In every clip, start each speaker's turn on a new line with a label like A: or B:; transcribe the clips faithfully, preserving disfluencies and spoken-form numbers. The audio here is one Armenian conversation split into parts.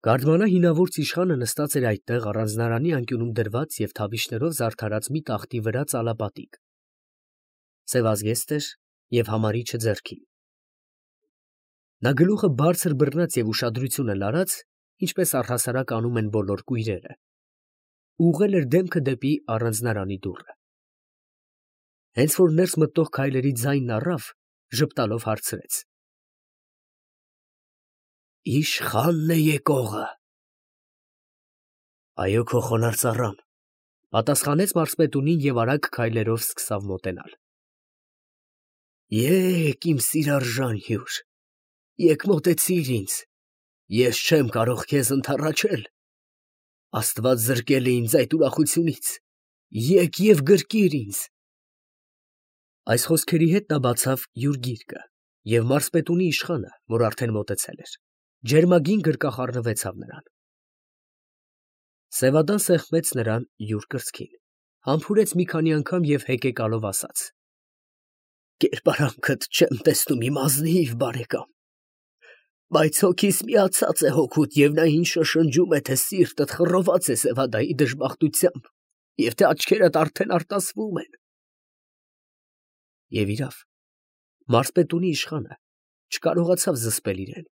A: Գարդմանա հինավուրց իշխանը նստած էր այդտեղ առանձնարանի անկյունում դրված և թավիշներով զարդարած մի տախտի վրա ծալապատիկ, սևազգեստ էր և համարիչը ձեռքին. նա գլուխը բարձր բռնած և ուշադրությունը լարած, ինչպես առհասարակ անում են բոլոր կույրերը, ուղղել էր դեմքը դեպի առանձնարանի դուռը. հենց որ ներս մտող քայլերի ձայնն առավ, ժպտալով հարցրեց. ֊ Իշխա՞նն է եկողը։ ֊ Այո, քո խոնարհ ծառան, ֊ պատասխանեց մարզպետունին և արագ քայլերով սկսավ մոտենալ։ ֊ Եկ, իմ սիրարժան հյուր, եկ մոտեցիր ինձ, ես չեմ կարող քեզ ընդառաջել, աստված զրկել է ինձ այդ ուրախությունից, եկ և գրկիր ինձ։ Այս խոսքերի հետ նա բացավ յուր գիրկը, և մարզպետունի իշխանը, որ արդեն մոտեցել էր, ջերմագին գրկախառնվեցավ նրան։ Սևադան սեղմեց նրան յուր կրծքին, համբուրեց մի քանի անգամ և հեկեկալով ասաց. ֊ Կերպարանքդ չեմ տեսնում, իմ ազնիվ բարեկամ, բայց հոգիս միացած է հոգուդ, և նա ինձ շշնջում է, թե սիրտդ խռոված է Սևադայի դժբախտությամբ, և թե աչքերդ արդեն արտասվում են։ Եվ իրավ, մարզպետունի իշխանը չկարողացավ զսպել իրեն.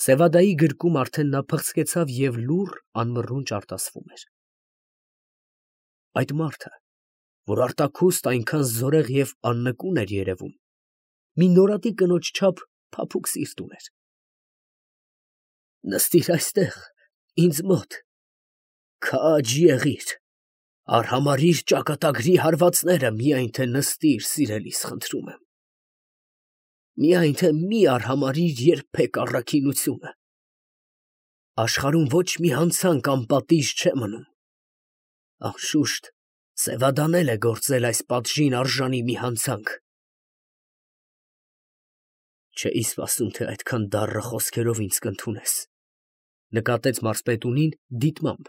A: Սևադայի գրկում արդեն նա փղցկեցավ և լուռ անմռունչ արտասվում էր։ Այդ մարդը, որ արտաքուստ այնքան զորեղ և աննկուն էր երևում, մի նորատի կնոջ չափ փափուկ սիրտ ուներ։ ֊ Նստիր այստեղ, ինձ մոտ, քաջ եղիր, արհամարհիր ճակատագրի հարվածները, միայն թե նստիր, սիրելիս, խնդրում եմ, միայն թե մի արհամարհիր երբեք առաքինությունը, աշխարհում ոչ մի հանցանք անպատիժ չէ մնում, անշուշտ, Սևադան էլ է գործել այս պատժին արժանի մի հանցանք։ ֊ Չէի սպասում, թե այդքան դառը խոսքերով ինձ կընդունես, ֊ նկատեց մարզպետունին դիտմամբ,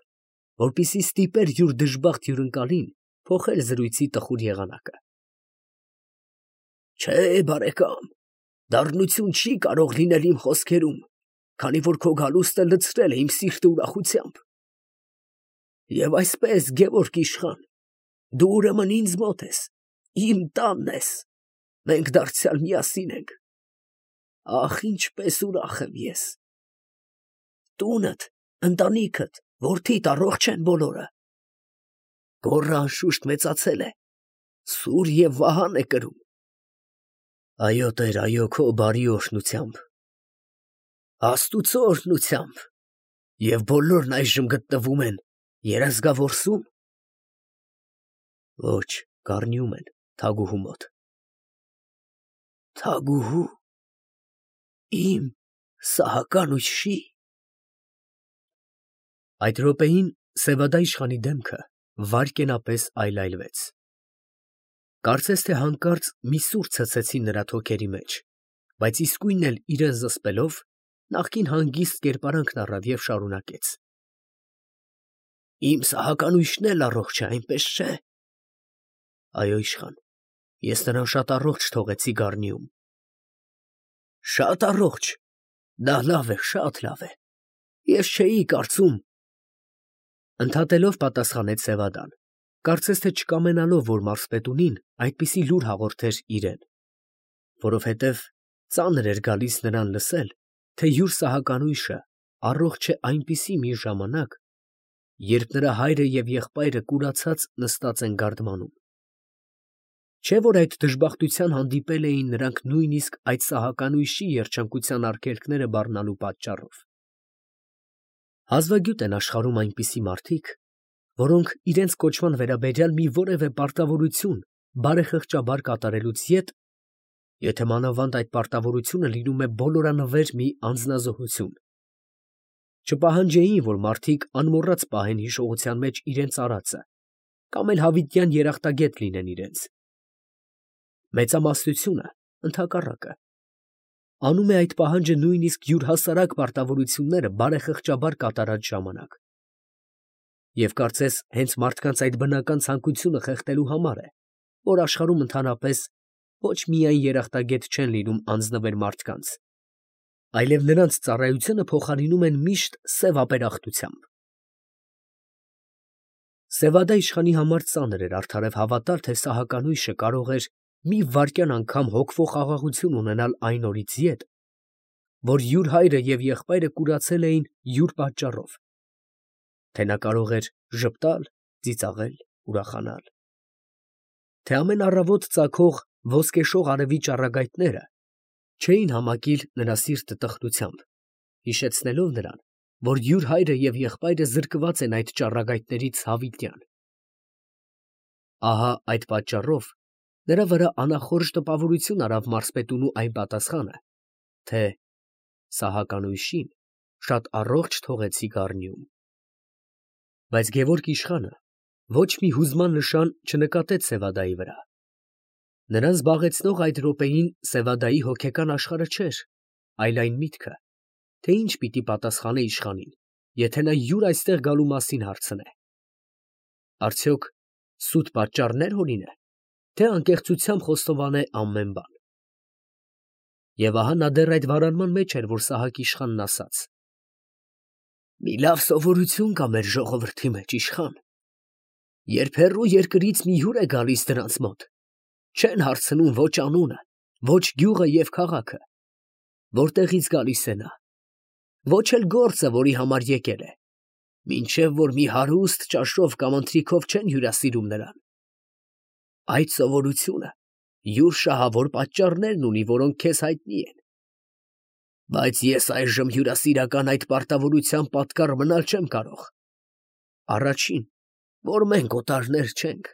A: որպեսզի ստիպեր յուր դժբախտ հյուրընկալին փոխել զրույցի տխուր եղանակը։ ֊ Չէ, բարեկամ, դառնություն չի կարող լինել իմ խոսքերում, քանի որ քո գալուստը լցրել է իմ սիրտը ուրախությամբ։ Եվ այսպես, Գևորգ իշխան, դու ուրեմն ինձ մոտ ես, իմ տանն ես, մենք դարձյալ միասին ենք։ Ախ, ինչպես ուրախ եմ ես։ Տունդ, ընտանիքդ, որդիդ առողջ են բոլորը։ Գոռը անշուշտ մեծացել է, սուր և վահան է կրում։ Այո, տեր, այո, քո բարի օրհնությամբ։ Աստուծո օրհնությամբ։ Եվ բոլորն այժմ գտնվում են երազգավորսու՞մ։ Ոչ, Գառնիում են, Թագուհու մոտ։ Թագուհու՞, իմ Սահական֊ույշի՞։ Այդ րոպեին Սևադա իշխանի դեմքը վայրկենապես այլայլվեց. կարծես թե հանկարծ մի սուր ցցեցին նրա թոքերի մեջ, բայց իսկույն էլ իրան զսպելով, նախկին հանգիստ կերպարանքն առավ և շարունակեց. Իմ Սահական֊ույշն էլ առողջ է, այնպես չէ։ Այո, իշխան, ես նրան շատ առողջ թողեցի Գառնիում։ Շատ առողջ, դա լավ է, շատ լավ է, ես չէի կարծում… Ընդհատելով պատասխանեց Սևադան, կարծես թե չկամենալով, որ մարզպետունին այդպիսի լուր հաղորդեր իրան, որովհետև ծանր էր գալիս նրան լսել, թե յուր Սահական֊ույշը առողջ է այնպիսի մի ժամանակ, երբ նրա հայրը և եղբայրը կուրացած նստած են գարդմանում։ Չէ՞ որ այդ դժբախտության հանդիպել էին նրանք նույնիսկ այդ Սահական֊ույշի երջանկության արգելքները բառնալու պատճառով։ Հազվագյուտ են աշխարհում այնպիսի մարդիկ, որոնք իրենց կոչման վերաբերյալ մի որևէ պարտավորություն բարեխղճաբար կատարելուց ետ, եթե մանավանդ այդ պարտավորությունը լինում է բոլորանվեր մի անձնազոհություն, չպահանջեին, որ մարդիկ անմոռաց պահեն հիշողության մեջ իրենց արածը կամ էլ հավիտյան երախտագետ լինեն իրենց։ Մեծամասնությունը, ընդհակառակը, անում է այդ պահանջը նույնիսկ յուր հասարակ պարտավորությունները բարեխղճաբար կատարած ժամանակ։ Եվ կարծես հենց մարդկանց այդ բնական ցանկությունը խեղդելու համար է, որ աշխարհում ընդհանրապես ոչ միայն երախտագետ չեն լինում անձնվեր մարդկանց, այլև նրանց ծառայությունը փոխարինում են միշտ սև ապերախտությամբ։ Սևադա իշխանի համար ծանր էր արդարև հավատալ, թե Սահականույշը կարող էր մի վայրկյան անգամ հոգվող խաղաղություն ունենալ այն օրից ետ, որ յուր հայրը և եղբայրը կուրացել էին յուր պատճառով, թե նա կարող էր ժպտալ, ծիծաղել, ուրախանալ, թե ամեն առավոտ ծագող ոսկեշող արևի ճառագայթները չէին համակիր նրա սիրտը տխրությամբ, հիշեցնելով նրան, որ յուր հայրը և եղբայրը զրկված են այդ ճառագայթներից հավիտյան։ Ահա այդ պատճառով նրա վրա անախորժ տպավորություն արավ մարզպետունու այն պատասխանը, թե Սահականույշին շատ առողջ թողեցի գառնիում։ Բայց Գևորգ իշխանը ոչ մի հուզման նշան չնկատեց Սևադայի վրա։ Նրան զբաղեցնող այդ րոպեին Սևադայի հոգեկան աշխարհը չէր, այլ այն միտքը, թե ինչ պիտի պատասխանե իշխանին, եթե նա յուր այստեղ գալու մասին հարցնե։ Արդյոք սուտ պատճառներ հորինե, թե անկեղծությամբ խոստովանե ամեն բան։ Եվ ահա նա դեռ այդ վարանման մեջ էր, որ Սահակ իշխանն ասաց. «Մի լավ սովորություն կա մեր ժողովրդի մեջ, իշխան. երբ հեռու երկրից մի հյուր է գալիս դրանց մոտ, չեն հարցնում ոչ անունը, ոչ գյուղը և քաղաքը, որտեղից գալիս է նա, ոչ էլ գործը, որի համար եկել է, մինչև որ մի հարուստ ճաշով կամ ընթրիքով չեն հյուրասիրում նրան։ Այդ սովորությունը յուր շահավոր պատճառներն ունի, որոնք քեզ հայտնի են, բայց ես այժմ հյուրասիրական այդ պարտավորության պատկառ մնալ չեմ կարող։ Առաջին, որ մենք օտարներ չենք,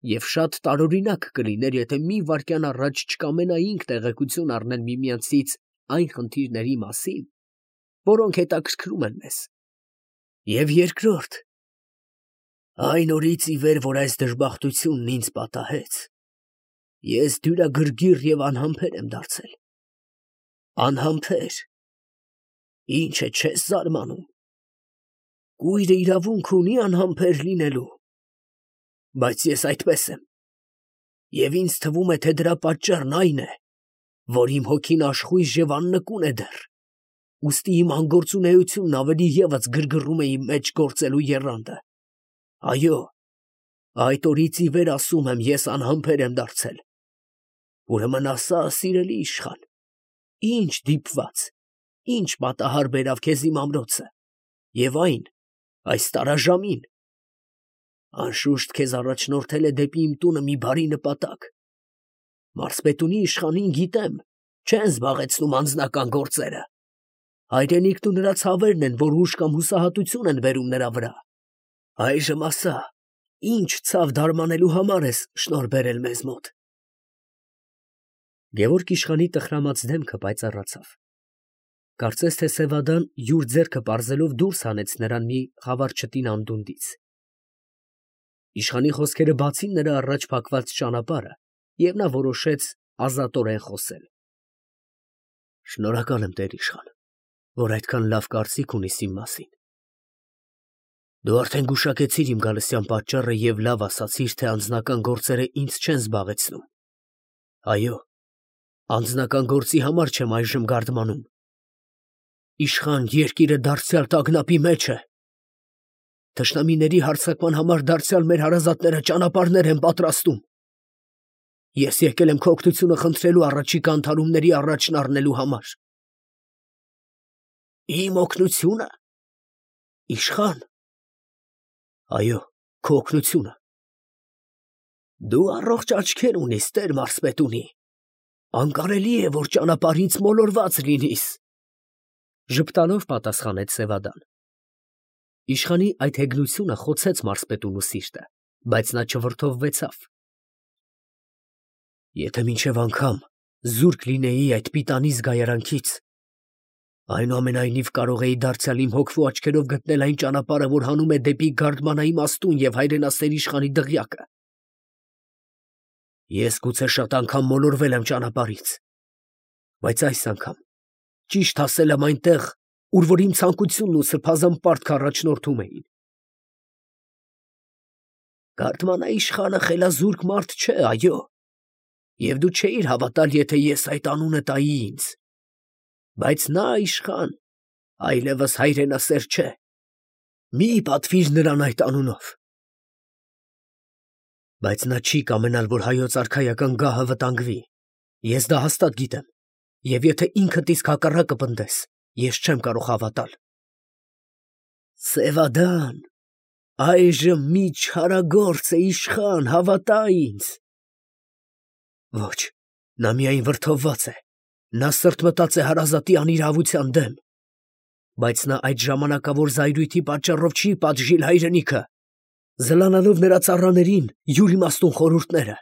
A: և շատ տարօրինակ կլիներ, եթե մի վայրկյան առաջ չկամենայինք տեղեկություն առնել միմյանցից այն խնդիրների մասին, որոնք հետաքրքրում են մեզ։ Եվ երկրորդ, այն օրից ի վեր, որ այս դժբախտությունն ինձ պատահեց, ես դյուրագրգիռ և անհամբեր եմ դարձել։ Անհամբեր, ինչ է, չես զարմանում։ Կույրը իրավունք ունի անհամբեր լինելու, բայց ես այդպես եմ, և ինձ թվում է, թե դրա պատճառն այն է, որ իմ հոգին աշխույժ և աննկուն է դեռ, ուստի իմ անգործունեությունն ավելի ևս գրգռում է իմ մեջ գործելու եռանդը։ Այո, այդ օրից ի վեր, ասում եմ, ես անհամբեր եմ դարձել։ Ուրեմն ասա, սիրելի իշխան, ինչ դիպված, ինչ պատահար բերավ քեզ իմ ամրոցը, և այն այս տարաժամին։ Անշուշտ քեզ առաջնորդել է դեպի իմ տունը մի բարի նպատակ։ Մարզպետունի իշխանին, գիտեմ, չեն զբաղեցնում անձնական գործերը։ Հայրենիքն ու նրա ցավերն են, որ ուժ կամ հուսահատություն են բերում նրա վրա։ Այժմ ասա, ինչ ցավ դարմանելու համար ես շնորհ բերել մեզ մոտ։ Գևորգ իշխանի տխրամած դեմքը պայծառացավ։ Կարծես թե Սևադան յուր ձեռքը պարզելով դուրս հանեց նրան մի խավար չտին անդունդից։ Իշխանի խոսքերը բացին նրա առաջ փակված ճանապարհը, և նա որոշեց ազատորեն խոսել։ Շնորհակալ եմ, տեր իշխան, որ այդքան լավ կարծիք ունիս իմ մասին։ Դու արդեն գուշակեցիր իմ գալստյան պատճառը և լավ ասացիր, թե անձնական գործերը ինձ չեն զբաղեցնում։ Այո, անձնական գործի համար չեմ այժմ գարդմանում։ Իշխան, երկիրը դարձյալ տագնապի մեջ է։ Թշնամիների հարձակման համար դարձյալ մեր հարազատները ճանապարհներ են պատրաստում։ Ես եկել եմ քո օգնությունը խնդրելու առաջիկա ընդհարումների առաջն առնելու համար։ Իմ օգնությունը, իշխան։ Այո, քո օգնությունը։ Դու առողջ աչքեր ունիս, տեր մարզպետունի, անկարելի է, որ ճանապարհից մոլորված լինիս, ժպտալով պատասխանեց Սևադան։ Իշխանի այդ հեգնությունը խոցեց մարզպետունու սիրտը, բայց նա չվրդովվեցավ։ Եթե մինչև անգամ զուրկ լինեի այդ պիտանի զգայարանքից, այնուամենայնիվ կարող էի դարձյալ իմ հոգվու աչքերով գտնել այն ճանապարհը, որ հանում է դեպի գարդմանայի մաստուն և հայրենասեր իշխանի դղյակը։ Ես գուցե շատ անգամ մոլորվել եմ ճանապարհից, բայց այս անգամ ճիշտ հասել եմ այնտեղ, ուր որ իմ ցանկությունն ու սրբազան պարտքը առաջնորդում էին։ Գարդմանաիշխանը խելազուրկ մարդ չէ, այո, և դու չէիր հավատալ, եթե ես այդ անունը տայի ինձ։ Բայց նա իշխան, այլևս հայրենասեր չէ, մի պատվիր նրան այդ անունով։ Բայց նա չի կամենալ, որ հայոց արքայական գահը վտանգվի, ես դա հաստատ գիտեմ, և եթե ինքդ իսկ հակառակը պնդես, ես չեմ կարող հավատալ։ Սևադան, այժմ մի չարագործ է իշխան, հավատա ինձ։ Ոչ, նա միայն վրդովված է, նա սրտմտած է հարազատի անիրավության դեմ, բայց նա այդ ժամանակավոր զայրույթի պատճառով չի պատժիլ հայրենիքը, զլանալով նրա ծառաներին յուր իմաստուն խորհուրդները։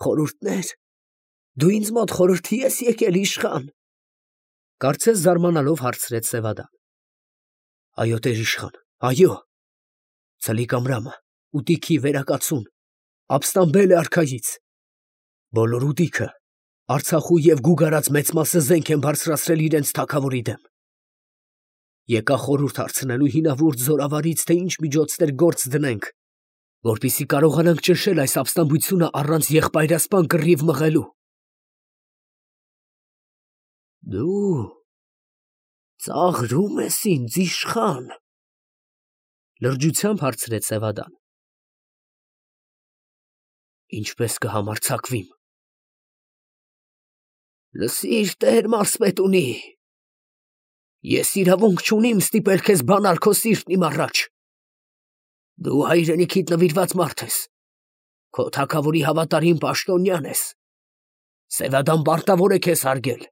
A: Խորհուրդնե՞ր, դու ինձ մոտ խորհրդի ես եկել, իշխան, կարծես զարմանալով հարցրեց Սևադան։ Այո, տեր իշխան, այո, Ցլիկ Ամրամը ուտիքի վերակացուն ապստամբել է արքայից, բոլոր ուտիքը, Արցախու և Գուգարած մեծ մասը զենք են բարձրացրել իրենց թագավորի դեմ։ Եկա խորհուրդ հարցնելու հինավուրց զորավարից, թե ինչ միջոցներ գործ դնենք, որպեսզի կարողանանք ճնշել այս ապստամբությունը առանց եղբայրասպան կռիվ մղելու։ Դու ծաղրում ես ինձ, իշխան, լրջությամբ հարցրեց Սևադան։ Ինչպես կհամարձակվիմ։ Լսիր, տեր մարզպետունի, ես իրավունք չունիմ ստիպել քեզ բանալ քո սիրտն իմ առաջ։ Դու հայրենիքիդ նվիրված մարդ ես, քո թագավորի հավատարիմ պաշտոնյան ես, Սևադան պարտավոր է քեզ հարգել։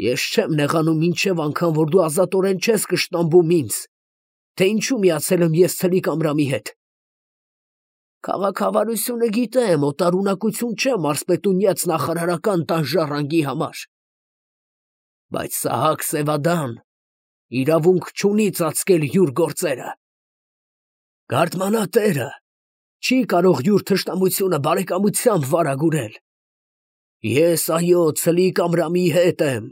A: Ես չեմ նեղանում մինչև անգամ, որ դու ազատորեն չես կշտամբում ինձ, թե ինչու միացել եմ ես Ցլիկ Ամրամի հետ։ Քաղաքավարությունը գիտեմ, օտարունակություն չէ մարզպետունյաց նախարարական տան ժառանգի համար։ Բայց Սահակ Սևադան իրավունք չունի ծածկել յուր գործերը։ Գարդմանատերը չի կարող յուր թշնամությունը բարեկամությամբ վարագուրել։ Ես, այո, Ցլիկ Ամրամի հետ եմ։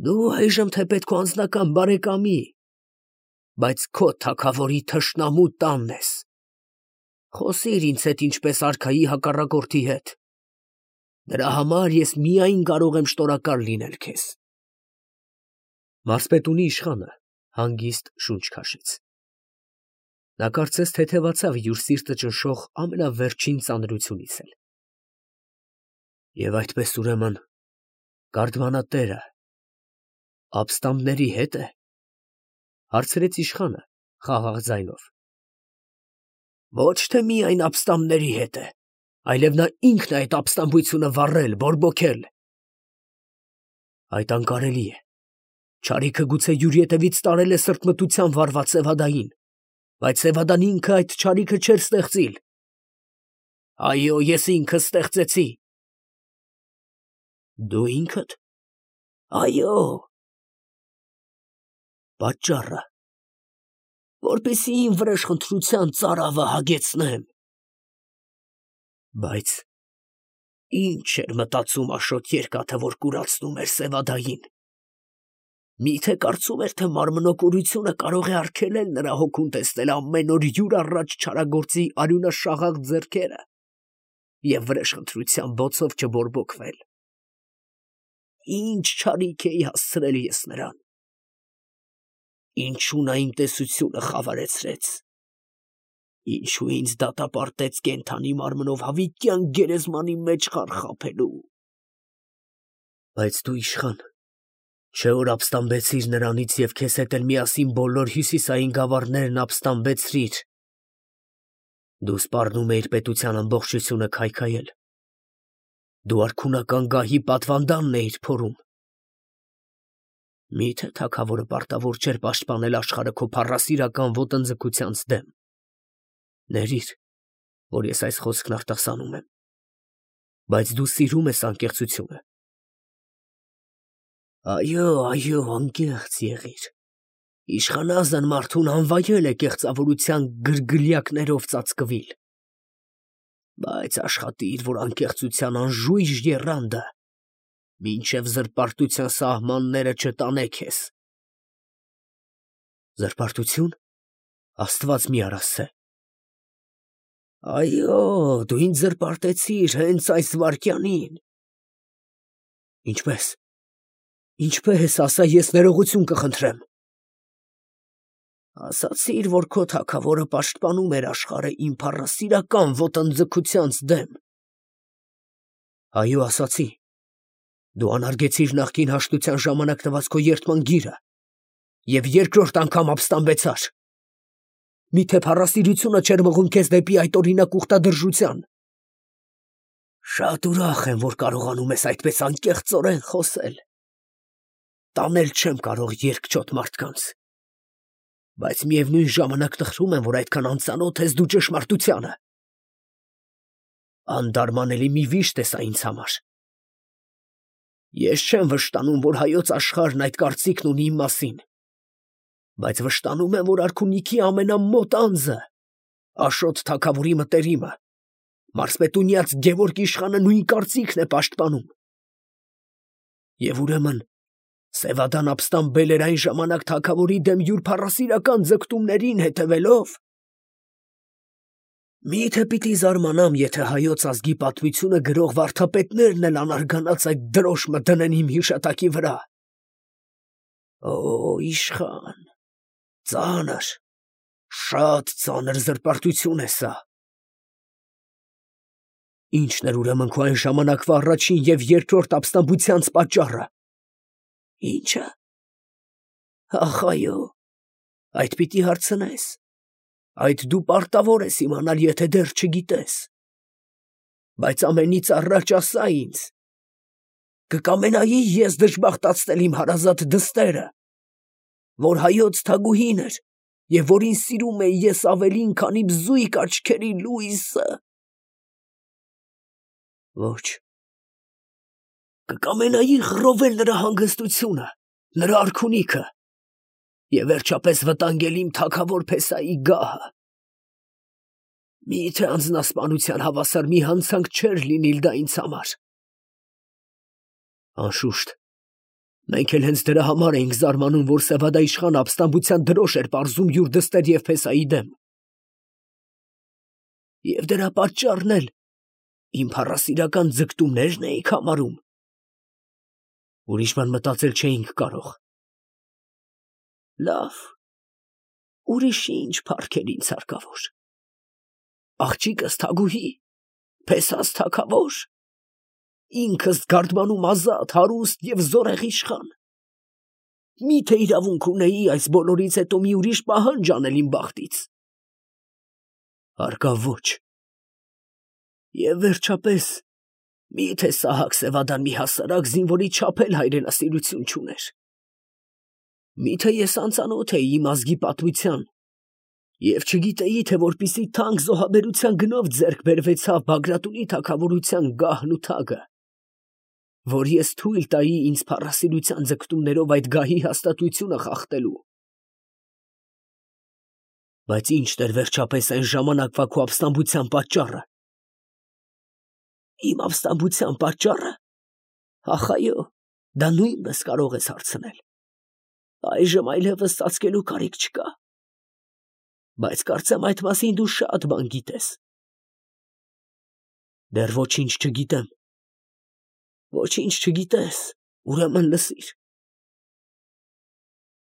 A: Դու այժմ թեպետ քո անձնական բարեկամի, բայց քո թագավորի թշնամու տանն ես։ Խոսիր ինձ հետ ինչպես արքայի հակառակորդի հետ։ Դրա համար ես միայն կարող եմ շնորհակալ լինել քեզ։ Մարզպետունի իշխանը հանգիստ շունչ քաշեց։ Նա կարծես թեթևացավ յուր սիրտը ճնշող ամենավերջին ծանրությունից էլ։ Եվ այդպես ուրեմն գարդմանատերը ապստամբների հետ է, հարցրեց իշխանը խաղաղ ձայնով։ Ոչ թե միայն ապստամբների հետ է, այլև նա ինքն է այդ ապստամբությունը վառել, բորբոքել։ Այդ անկարելի է։ Չարիքը գուցե յուր ետևից տարել է սրտմտությամբ վառված Սևադային, բայց Սևադան ինքը այդ չարիքը չէր ստեղծիլ։ Այո, ես ինքս ստեղծեցի։ Դու ինքդ։ Այո։ Պատճառը, որպեսզի իմ վրեժխնդրության ծարավը հագեցնեմ։ Բայց ինչ էր մտածում Աշոտ Երկաթը, որ կուրացնում էր Սևադային։ Միթե կարծում էր, թե մարմնոկուրությունը կարող է արգելել նրա հոգուն տեսնել ամեն օր յուր առաջ չարագործի արյունաշաղախ ձեռքերը և վրեժխնդրության բոցով չբորբոքվել։ Ինչ չարիք էի հասցրել ես նրան։ Ինչու նա իմ տեսությունը խավարեցրեց, ինչու ինձ դատապարտեց կենդանի մարմնով հավիտյան գերեզմանի մեջ խարխափելու։ Բայց դու իշխան, չէ որ ապստամբեցիր նրանից և քեզ հետ էլ միասին բոլոր հյուսիսային գավառներն ապստամբեցրիր։ Դու սպառնում էիր պետության ամբողջությունը քայքայել։ Դու արքունական գահի պատվանդանն էիր փորում։ Միթե թագավորը պարտավոր չէր պաշտպանել աշխարհը քո փառասիրական ոտնձգությանց դեմ։ Ներիր, որ ես այս խոսքն արտասանում եմ, բայց դու սիրում ես անկեղծությունը։ Այո, այո, անկեղծ եղիր։ Իշխանազն մարդուն անվայել է կեղծավորության գրգլյակներով ծածկվիլ։ Բայց աշխատիր, որ անկեղծության անժույժ եռանդը մինչև զրպարտության սահմանները չտանե քեզ։ Զրպարտություն։ Աստված մի արասցե։ Այո, դու ինձ զրպարտեցիր հենց այս վայրկյանին։ Ինչպես։ Ինչպես, ասա, ես ներողություն կխնդրեմ։ Ասացիր, որ քո թագավորը պաշտպանում էր աշխարհը իմ փառասիրական ոտնձգությանց դեմ։ Այո, ասացի։ Դու անարգեցիր նախկին հաշտության ժամանակ տված քո երդման գիրը և երկրորդ անգամ ապստամբեցար։ Միթե փառասիրությունը չէր մղում քեզ դեպի այդ օրինակ ուխտադրժության։ Շատ ուրախ եմ, որ կարողանում ես այդպես անկեղծորեն խոսել։ Տանել չեմ կարող երկչոտ մարդկանց, բայց միևնույն ժամանակ տխրում եմ, որ այդքան անծանոթ ես դու ճշմարտությանը։ Անդարմանելի մի վիշտ ես ինձ համար։ Ես չեմ վշտանում, որ հայոց աշխարհն այդ կարծիքն ունի իմ մասին, բայց վշտանում եմ, որ արքունիքի ամենամոտ անձը, Աշոտ թագավորի մտերիմը, մարզպետունյաց Գևորգ իշխանը նույն կարծիքն է պաշտպանում։ Եվ ուրեմն Սևադան ապստամբել էր այն ժամանակ թագավորի դեմ յուր փառասիրական ձգտումներին հետևելով։ Մի՞թե պիտի զարմանամ, եթե հայոց ազգի պատմությունը գրող վարդապետներն էլ անարգանաց այդ դրոշմը դնեն իմ հիշատակի վրա։ Օ, իշխան, ծանր, շատ ծանր զրպարտություն է սա։ Ի՞նչն էր ուրեմն քո այն ժամանակվա առաջին և երկրորդ ապստամբությանց պատճառը։ Ի՞նչը։ Ախ, այո, այդ պիտի հարցնես, այդ դու պարտավոր ես իմանալ, եթե դեռ չգիտես, բայց ամենից առաջ ասա ինձ, կկամենայի ես դժբախտացնել իմ հարազատ դստերը, որ հայոց թագուհին էր և որին սիրում էի ես ավելին, քանի բզույկ աչքերի լույսը։ Ոչ, կկամենայի խռովել նրա հանգստությունը, նրա արքունիքը և վերջապես վտանգել իմ թագավոր Փեսայի գահը։ Մի՞թե անձնասպանության հավասար մի հանցանք չէր լինիլ դա ինձ համար։ Անշուշտ, մենք էլ հենց դրա համար էինք զարմանում, որ Սևադա իշխանը ապստամբության դրոշ էր պարզում յուր դստեր և Փեսայի դեմ։ Եվ դրա պատճառն էլ իմ փառասիրական ձգտումներն էիք համարում։ Ուրիշ բան մտածել չէինք կարող։ Լավ, ուրիշ ինչ փառքեր ինձ հարկավոր։ Աղջիկս թագուհի, Փեսաս թագավոր, ինքս գարդմանում ազատ, հարուստ և զորեղ իշխան։ Մի՞թե իրավունք ունեի այս բոլորից հետո մի ուրիշ պահանջ անել իմ բախտից։ Հարկավ ոչ։ Եվ վերջապես, մի՞թե Սահակ Սևադան մի հասարակ զինվորի չափ էլ հայրենասիրություն չուներ։ Մի՞թե ես անծանոթ էի իմ ազգի պատմության և չգիտեի, թե որպիսի թանկ զոհաբերության գնով ձեռք բերվեցավ Բագրատունի թագավորության գահն ու թագը, որ ես թույլ տայի ինձ փառասիրության ձգտումներով այդ գահի հաստատությունը խախտելու։ Բայց ի՞նչն էր վերջապես այն ժամանակվա քո ապստամբության պատճառը։ Իմ ապստամբության պատճառը։ Ախ, այո, դա նույնպես կարող ես հարցնել։ Այժմ այլևս ծածկելու կարիք չկա։ Բայց կարծեմ այդ մասին դու շատ բան գիտես։ Դեռ ոչինչ չգիտեմ։ Ոչինչ չգիտես, ուրեմն լսիր։